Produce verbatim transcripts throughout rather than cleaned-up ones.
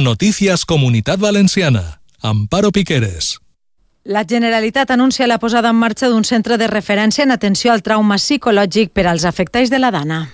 Noticias Comunitat Valenciana. Amparo Piqueres. La Generalitat anuncia la posada en marxa d'un centre de referència en atenció al trauma psicològic per als afectats de la Dana.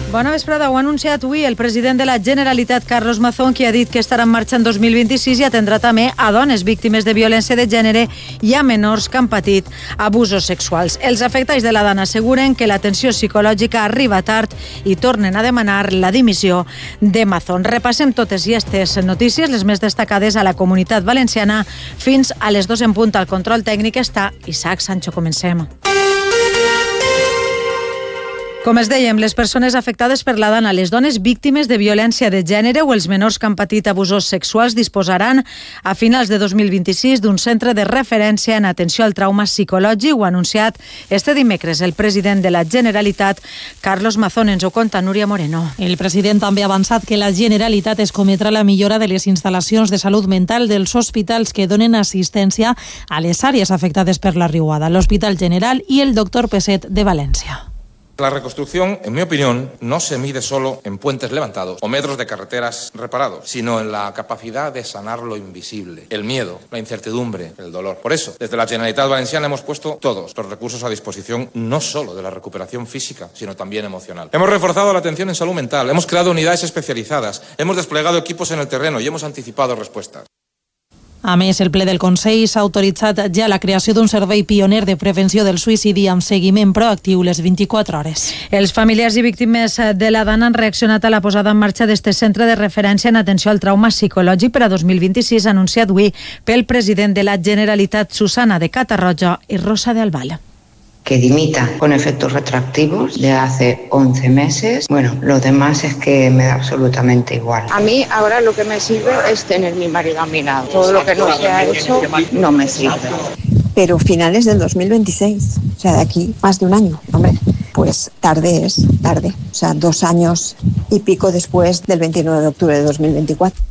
Bona vesprada. Ho ha anunciat avui el president de la Generalitat, Carlos Mazón, qui ha dit que estarà en marxa en dos mil vint-i-sis i atendrà també a dones víctimes de violència de gènere i a menors que han patit abusos sexuals. Els afectats de la Dana asseguren que l'atenció psicològica arriba tard i tornen a demanar la dimissió de Mazón. Repassem totes i aquestes notícies, les més destacades a la Comunitat Valenciana, fins a les dos en punt. Al control tècnic està Isaac Sancho. Comencem. Com es dèiem, les persones afectades per la Dana, les dones víctimes de violència de gènere o els menors que han patit abusos sexuals disposaran a finals de dos mil vint-i-sis d'un centre de referència en atenció al trauma psicològic. Ho ha anunciat este dimecres el president de la Generalitat, Carlos Mazón. Ens ho conta Núria Moreno. El president també ha avançat que la Generalitat es cometrà la millora de les instal·lacions de salut mental dels hospitals que donen assistència a les àrees afectades per la riuada, l'Hospital General i el Doctor Peset de València. La reconstrucción, en mi opinión, no se mide solo en puentes levantados o metros de carreteras reparados, sino en la capacidad de sanar lo invisible, el miedo, la incertidumbre, el dolor. Por eso, desde la Generalitat Valenciana hemos puesto todos los recursos a disposición, no solo de la recuperación física, sino también emocional. Hemos reforzado la atención en salud mental, hemos creado unidades especializadas, hemos desplegado equipos en el terreno y hemos anticipado respuestas. A més, el ple del Consell s'ha autoritzat ja la creació d'un servei pioner de prevenció del suïcidi amb seguiment proactiu les vint-i-quatre hores. Els familiars i víctimes de la Dana han reaccionat a la posada en marxa d'este centre de referència en atenció al trauma psicològic per a dos mil vint-i-sis, anunciat avui pel president de la Generalitat, Susana de Catarroja i Rosa de Albal. Que dimita con efectos retroactivos de hace once meses. Bueno, lo demás es que me da absolutamente igual. A mí ahora lo que me sirve es tener mi marido a mi lado. Todo lo que no se ha hecho no me sirve. Pero finales del dos mil veintiséis, o sea, de aquí más de un año, hombre. Pues tarde es, tarde. O sea, dos años y pico después del veintinueve de octubre de dos mil veinticuatro.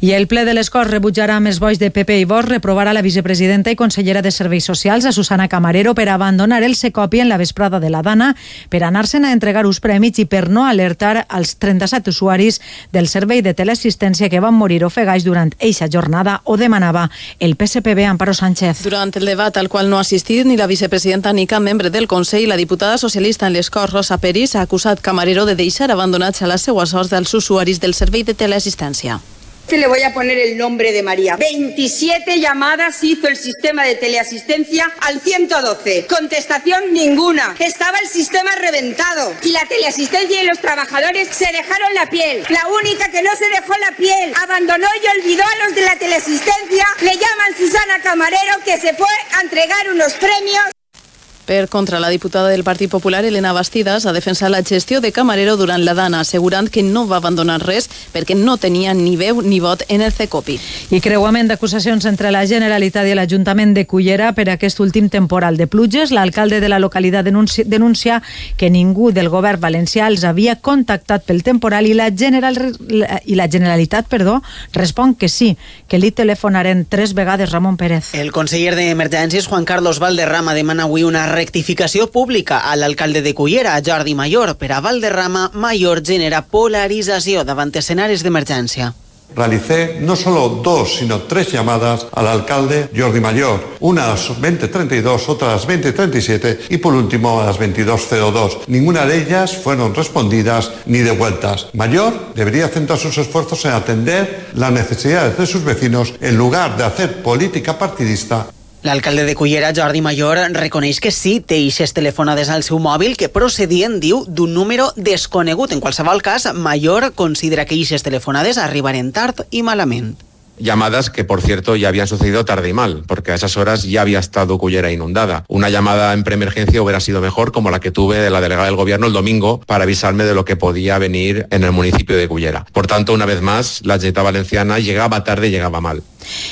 I el ple de les Corts rebutjarà amb els vots de P P i Vox reprovarà la vicepresidenta i consellera de Serveis Socials, a Susana Camarero, per abandonar el Secopi en la vesprada de la Dana, per anar-se'n a entregar uns premis i per no alertar als trenta-set usuaris del servei de teleassistència que van morir ofegats durant eixa jornada, o demanava el P S P B. Amparo Sánchez. Durant el debat al qual no ha assistit ni la vicepresidenta ni cap membre del Consell, la diputada socialista en les Corts, Rosa Peris, ha acusat Camarero de deixar abandonats a la seua sort dels usuaris del servei de teleassistència. Le voy a poner el nombre de María. veintisiete llamadas hizo el sistema de teleasistencia al ciento doce. Contestación ninguna. Estaba el sistema reventado. Y la teleasistencia y los trabajadores se dejaron la piel. La única que no se dejó la piel, abandonó y olvidó a los de la teleasistencia, le llaman Susana Camarero, que se fue a entregar unos premios. Per contra, la diputada del Partit Popular, Elena Bastidas, ha defensat la gestió de Camarero durant la Dana, assegurant que no va abandonar res perquè no tenia ni veu ni vot en el Secopi. I creuament d'acusacions entre la Generalitat i l'Ajuntament de Cullera per aquest últim temporal de pluges. L'alcalde de la localitat denuncia, denuncia que ningú del govern valencià els havia contactat pel temporal i la, General, i la Generalitat perdó, respon que sí, que li telefonaren tres vegades. Ramon Pérez. El conseller d'Emergències, Juan Carlos Valderrama, demana avui una rectificació pública a l'alcalde de Cullera, Jordi Mayor. Per a Valderrama, Mayor genera polarització davant escenaris d'emergència. Realicé no solo dos, sino tres llamadas al alcalde Jordi Mayor, una a las veinte treinta y dos, otra a las veinte treinta y siete y por último a las veintidós cero dos. Ninguna de ellas fueron respondidas ni devueltas. Mayor debería centrar sus esfuerzos en atender las necesidades de sus vecinos en lugar de hacer política partidista. L'alcalde de Cullera, Jordi Mayor, reconeix que sí té eixes telefonades al seu mòbil que procedien, diu, d'un número desconegut. En qualsevol cas, Mayor considera que eixes telefonades arribaren tard i malament. Llamadas que, por cierto, ya habían sucedido tarde y mal, porque a esas horas ya había estado Cullera inundada. Una llamada en preemergencia hubiera sido mejor, como la que tuve de la delegada del gobierno el domingo, para avisarme de lo que podía venir en el municipio de Cullera. Por tanto, una vez más, la Generalitat Valenciana llegaba tarde y llegaba mal.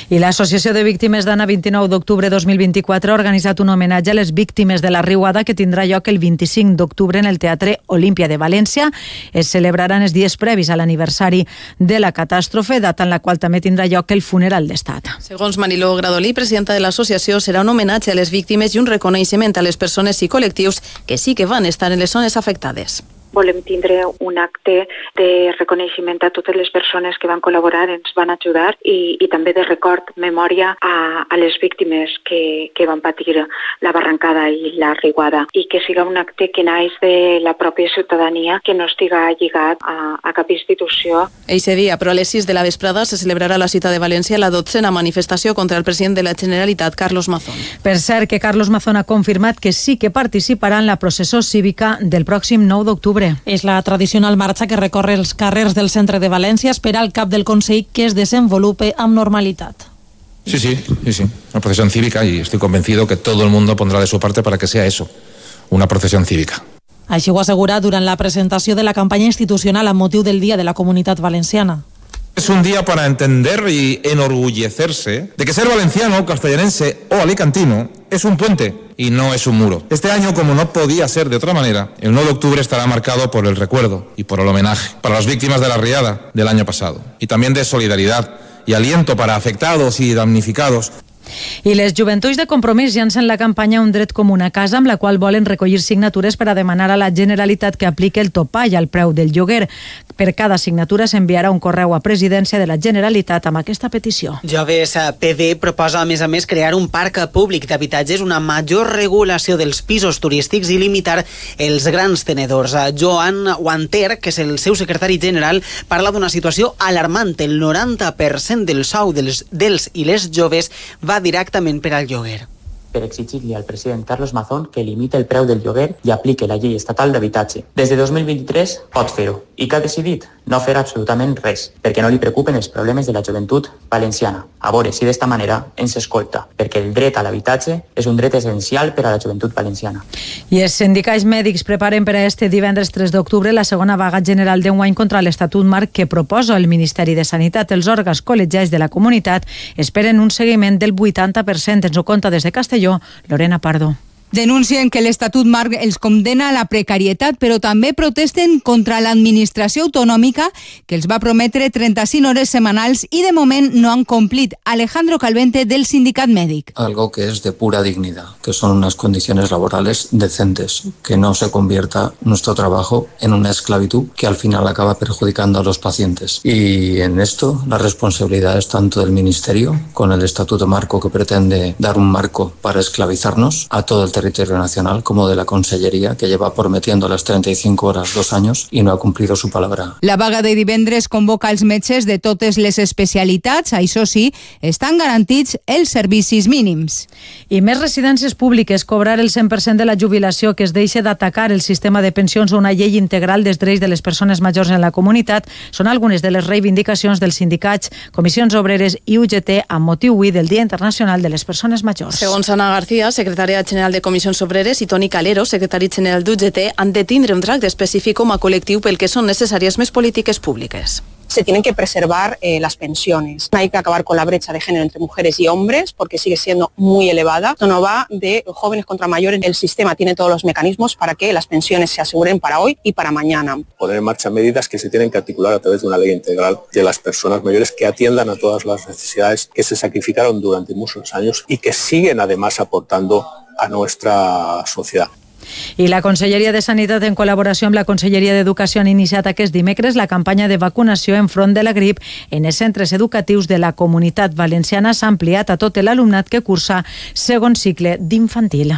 I l'Associació de Víctimes Dana vint-i-nou d'octubre dos mil vint-i-quatre ha organitzat un homenatge a les víctimes de la riuada que tindrà lloc el vint-i-cinc d'octubre en el Teatre Olímpia de València. Es celebraran els dies previs a l'aniversari de la catàstrofe, data en la qual també tindrà lloc el funeral d'estat. Segons Mariló Gradolí, presidenta de l'associació, serà un homenatge a les víctimes i un reconeixement a les persones i col·lectius que sí que van estar en les zones afectades. volem tindre un acte de reconeixement a totes les persones que van col·laborar, ens van ajudar i, i també de record, memòria a, a les víctimes que, que van patir la barrancada i la riuada i que siga un acte que naix de la pròpia ciutadania, que no estiga lligat a, a cap institució. Eixe dia, però a les sis de la vesprada, se celebrarà a la ciutat de València la dotzena manifestació contra el president de la Generalitat, Carlos Mazón. Per cert, que Carlos Mazón ha confirmat que sí que participarà en la processó cívica del pròxim nou d'octubre. És la tradicional marxa que recorre els carrers del centre de València, espera el cap del Consell que es desenvolupe amb normalitat. Sí, sí, sí, sí, una procesión cívica y estoy convencido que todo el mundo pondrá de su parte para que sea eso, una procesión cívica. Així ho assegura durant la presentació de la campanya institucional amb motiu del Dia de la Comunitat Valenciana. Es un día para entender y enorgullecerse de que ser valenciano, castellanense o alicantino es un puente y no es un muro. Este año, como no podía ser de otra manera, el nueve de octubre estará marcado por el recuerdo y por el homenaje para las víctimas de la riada del año pasado y también de solidaridad y aliento para afectados y damnificados. I les joventuts de Compromís llancen la campanya Un dret com una casa, amb la qual volen recollir signatures per a demanar a la Generalitat que apliqui el topall al preu del lloguer. Per cada signatura s'enviarà un correu a Presidència de la Generalitat amb aquesta petició. Joves P D proposa, a més a més, crear un parc públic d'habitatges, una major regulació dels pisos turístics i limitar els grans tenedors. Joan Wanter, que és el seu secretari general, parla d'una situació alarmant. El noranta per cent del sou dels, dels i les joves va directament per al lloguer. Per exigir-li al president Carlos Mazón que limite el preu del lloguer i aplique la llei estatal d'habitatge. Des de dos mil vint-i-tres pot fer-ho. I què ha decidit? No fer absolutament res, perquè no li preocupen els problemes de la joventut valenciana. A veure si d'esta manera ens escolta, perquè el dret a l'habitatge és un dret essencial per a la joventut valenciana. I els sindicats mèdics preparen per a este divendres tres d'octubre la segona vaga general d'enguany contra l'Estatut Marc que proposa el Ministeri de Sanitat. Els òrgans col·legiats de la comunitat esperen un seguiment del vuitanta per cent. Ens ho conta des de Castelló Lorena Pardo. Denuncien que l'Estatut Marc els condena a la precarietat, però també protesten contra l'administració autonòmica que els va prometre trenta-cinc hores setmanals i de moment no han complit. Alejandro Calvente, del sindicat mèdic. Algo que es de pura dignidad, que son unas condiciones laborales decentes, que no se convierta nuestro trabajo en una esclavitud que al final acaba perjudicando a los pacientes. Y en esto la responsabilidad es tanto del Ministerio, con el Estatuto Marco que pretende dar un marco para esclavizarnos a todo el territorio nacional, como de la Consellería, que lleva prometiendo las trenta y cinco horas dos años y no ha cumplido su palabra. La vaga de divendres convoca els metges de totes les especialitats. Això sí, estan garantits els servicis mínims. I més residències públiques, cobrar el cent per cent de la jubilació, que es deixa d'atacar el sistema de pensions o una llei integral dels drets de les persones majors en la comunitat, són algunes de les reivindicacions dels sindicats, comissions obreres i U G T amb motiu avui del Dia Internacional de les Persones Majors. Segons Ana García, secretària general de Comissions Obreres, i Toni Calero, secretari general d'U G T, han de tindre un tracte específic com a col·lectiu pel que són necessàries més polítiques públiques. Se tienen que preservar eh, las pensiones. Hay que acabar con la brecha de género entre mujeres y hombres porque sigue siendo muy elevada. Esto no va de jóvenes contra mayores. El sistema tiene todos los mecanismos para que las pensiones se aseguren para hoy y para mañana. Poner en marcha medidas que se tienen que articular a través de una ley integral de las personas mayores que atiendan a todas las necesidades que se sacrificaron durante muchos años y que siguen además aportando a nuestra sociedad. I la Conselleria de Sanitat, en col·laboració amb la Conselleria d'Educació, han iniciat aquest dimecres la campanya de vacunació enfront de la grip en els centres educatius de la Comunitat Valenciana. S'ha ampliat a tot l'alumnat que cursa segon cicle d'infantil.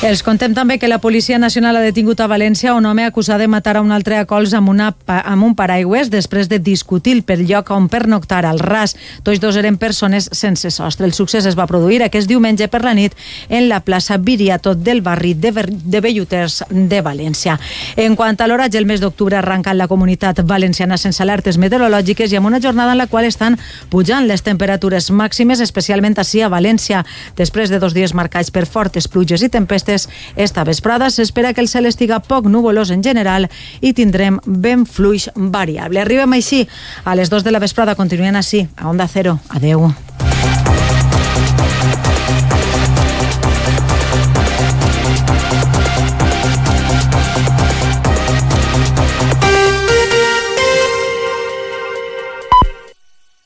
Els contem també que la Policia Nacional ha detingut a València un home acusat de matar a un altre a cols amb, una, amb un paraigües després de discutir pel lloc on pernoctar al ras. Tots dos eren persones sense sostre. El succés es va produir aquest diumenge per la nit en la plaça Viriato del barri de, de Belluters de València. En quant a l'oratge, el mes d'octubre arranca en la Comunitat Valenciana sense alertes meteorològiques i amb una jornada en la qual estan pujant les temperatures màximes, especialment ací a València. Després de dos dies marcats per fortes pluges i tempestes, esta vesprada s'espera que el cel estiga poc nuvolós en general i tindrem vent fluix variable. Arribem així a les dos de la vesprada. Continuen així a Onda Cero. Adeu.